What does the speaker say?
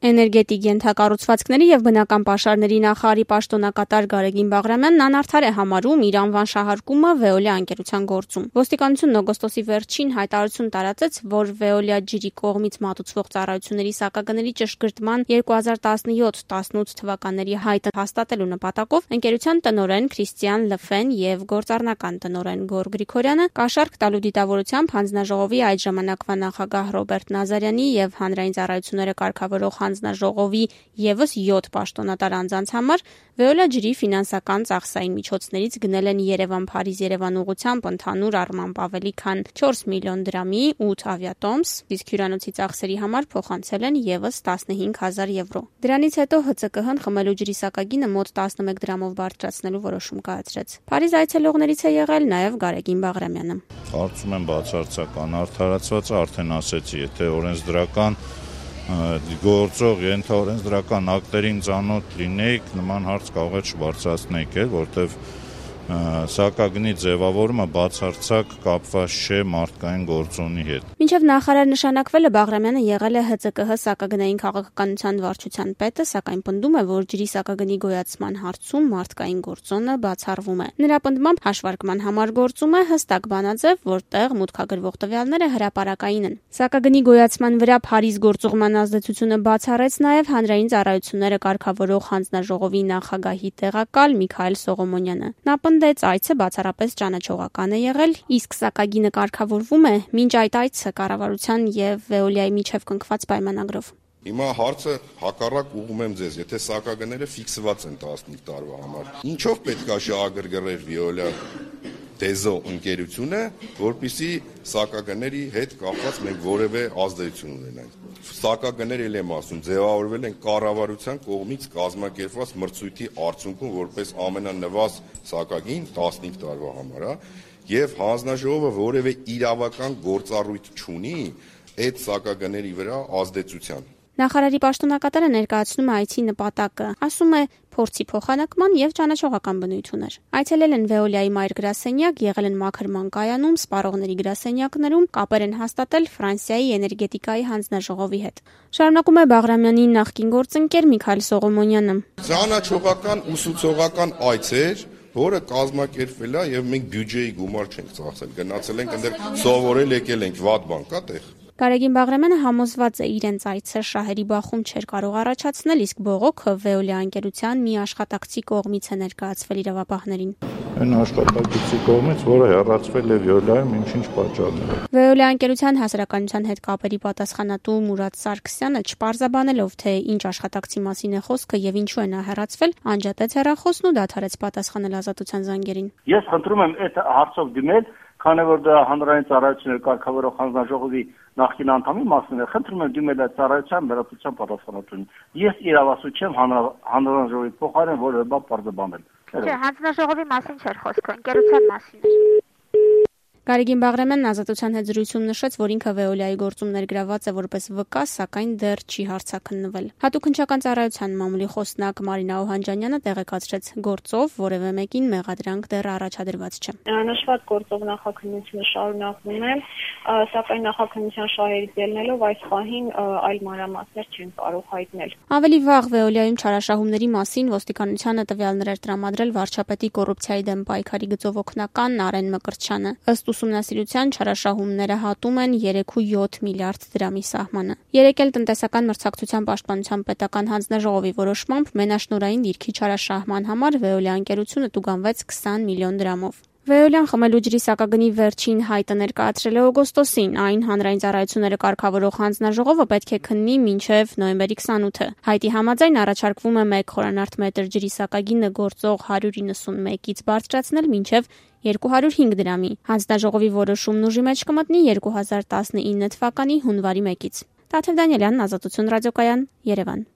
Էներգետիկ ենթակառուցվածքների եւ բնական պաշարների նախարարի պաշտոնակատար Գարեգին Բաղրամյանն անարդար է համարում իր անվան շահարկումը Veolia ընկերության գործում։ Ոստիկանությունն օգոստոսի վերջին հայտարարություն տարածեց, որ Veolia ջրի կողմից մատուցվող ծառայությունների սակագների ճշգրտման 2017-18 թվականների հայտը հաստատելու նպատակով ընկերության տնօրեն Քրիստիան Լֆեն եւ գործառնական տնօրեն Գոր Գրիգորյանը կաշառք տալու դիտավորությամբ հանձնաժողովի այդ ժամանակվա նախագահ Ռոբերտ Նազարյանի եւ հանրային ծառայությունները կարգավորող հանձնաժողովի եւս 7 պաշտոնատար անձանց համար Veolia ջրի ֆինանսական ծախսային միջոցներից գնել են Երևան-Փարիզ-Երևան ուղղությամբ ընդհանուր առմամբ ավելի քան 4 միլիոն դրամի 8 ավիատոմս, իսկ հյուրանոցի ծախսերի համար փոխանցել են եւս 15,000 եվրո։ Դրանից հետո ՀՑԿՀ-ն խմելու ջրի սակագինը մոտ 11 դրամով բարձրացնելու որոշում կայացրեց։ Փարիզ այցելողներից է եղել նաեւ Գարեգին Բաղրամյանը։ Կարծում եմ բացարձական արդարացված արդեն ասեցի, եթե օրենսդրական գործող ենթաօրենսդրական ակտերին ծանոթ լինեիք, նման հարց կարող է չբարձրացնեիք, որտեղ սակագնի ձևավորումը բացարձակ կապված չէ մարդկային գործոնի հետ։ Մինչև նախարար նշանակվելը Բաղրամյանը եղել է ՀՑԿՀ սակագնային քաղաքականության վարչության պետը, սակայն պնդում է, որ ջրի սակագնի գոյացման հարցում մարդկային գործոնը բացառվում է։ Նրա պնդմամբ հաշվարկման համար գործում է հստակ բանաձև, որտեղ մուտքագրվող տվյալները հրապարակային են։ Սակագնի գոյացման վրա Փարիզ գործուղման ազդեցությունը բացառեց նաև հանրային ծառայությունները կարգավորող հանձնաժողովի նախագահի տեղակալ Միքայել Սողոմոնյանը։ Նա պնդեց, այցը բացառապես ճանաչողական է եղել, իսկ սակագինը կարգավորվում է մինչ այդ այցը կառավարության եւ Veolia-ի միջև կնքված պայմանագրով։ Հիմա հարցը հակառակ ուղղում եմ ձեզ, եթե սակագները ֆիքսված են 15 տարվա համար, ինչով պետք է շահագրգռեր Veolia Դեզո ընկերությունը, որպեսզի սակագների հետ կապված մենք որևէ ազդեցություն ունենանք։ Սակագները էլ եմ ասում, ձևավորվել են կառավարության կողմից կազմակերպված մրցույթի արդյունքում որպես ամենանվազ սակագին 15 տարվա համար, եւ հանձնաժողովը որևէ իրավական գործառույթ չունի այդ սակագների վրա ազդեցության։ Նախարարի պաշտոնակատարը ներկայացնում է այցի նպատակը, ասում է փորձի փոխանակման եւ ճանաչողական բնույթ ուներ։ Այցելել են Veolia-ի մայր գրասենյակ, եղել են մաքրման կայանում, սպառողների գրասենյակներում, կապեր են հաստատել Ֆրանսիայի էներգետիկայի հանձնաժողովի հետ։ Շարունակում է Բաղրամյանի նախկին գործընկեր Միքայել Սողոմոնյանը։ Ճանաչողական ուսուցողական այց էր, որը կազմակերպվել է եւ մենք բյուջեի գումար չենք ծախսել, գնացել ենք այնտեղ սովորել եկել ենք, վատ բան կա տեղ։ Գարեգին Բաղրամյանը համոզված է իրենց այցը շահերի բախում չէր կարող առաջացնել, իսկ բողոքը Veolia ընկերության մի աշխատակցի կողմից է ներկայացվել իրավապահներին։ Այն աշխատակցի կողմից, որը հեռացվել է Veolia-ում ինչ-ինչ պատճառներով։ Veolia ընկերության հասարակայնության հետ կապերի պատասխանատու Մուրադ Սարգսյանը չպարզաբանելով, թե ինչ աշխատակցի մասին է խոսքը եւ ինչու է նա հեռացվել, անջատեց հեռախոսն ու դադարեց պատասխանել ազատության զանգերին։ Ես խնդրում եմ այդ հարցով դիմել, քանի որ դա հանրային ծառայությունների կարգավորող հանձնաժողովի նախկին անդամի մասին է, խնդրում եմ դիմել այդ ծառայության վերապրության պատասխանատուն։ Ես իրավասու չեմ հանրաժողովի փոխարեն որևէ բան պարզաբանել։ Չէ, հանձնաժողովի մասին չէր խոսքը, ընկերության մասին էր։ Գարեգին Բաղրամյանն ազատության հետ զրույցում նշեց, որ ինքը Veolia-ի գործում ներգրավված է որպես վկա, սակայն դեռ չի հարցաքննվել։ Հատուկ հնչական ծառայության մամուլի խոսնակ Մարինա Օհանջանյանը տեղեկացրեց, գործով որևէ մեկին մեղադրանք դեռ առաջադրված չէ։ Նշված գործով նախաքննությունը շարունակվում է, սակայն նախաքննության շահերից ելնելով այս պահին այլ մանրամասներ չեն կարող հայտնել։ Ավելի վաղ Veolia-ում չարաշահումների մասին ոստիկանությանը տվյալներ էր տրամադրել վարչապետի կոռուպցիայի դեմ պայքարի գծով օգնական Արեն Մկրտչյանը։ Ըստ ուսումնասիրության չարաշահումները հատում են 3.7 միլիարդ դրամի սահմանը։ Երեկ էլ տնտեսական մրցակցության պաշտպանության պետական հանձնաժողովի որոշմամբ մենաշնորհային դիրքի չարաշահման համար Veolia ընկերությունը տուգանվեց 20 միլիոն դրամով։ Veolia-ն խմելու ջրի սակագնի վերջին հայտը ներկայացրել է օգոստոսին, այն հանրային ծառայությունները կարգավորող հանձնաժողովը պետք է քննի մինչև նոյեմբերի 28-ը։ Հայտի համաձայն առաջարկվում է 1 խորանարդ մետր ջրի սակագինը գործող 191-ից բարձրացնել մինչև 205 դրամի։ Հանձնաժողովի որոշումն ուժի մեջ կմտնի 2019 թվականի հունվարի 1-ից։ Տաթև Դանիելյան, Ազատություն ռադիոկայան, Երևան։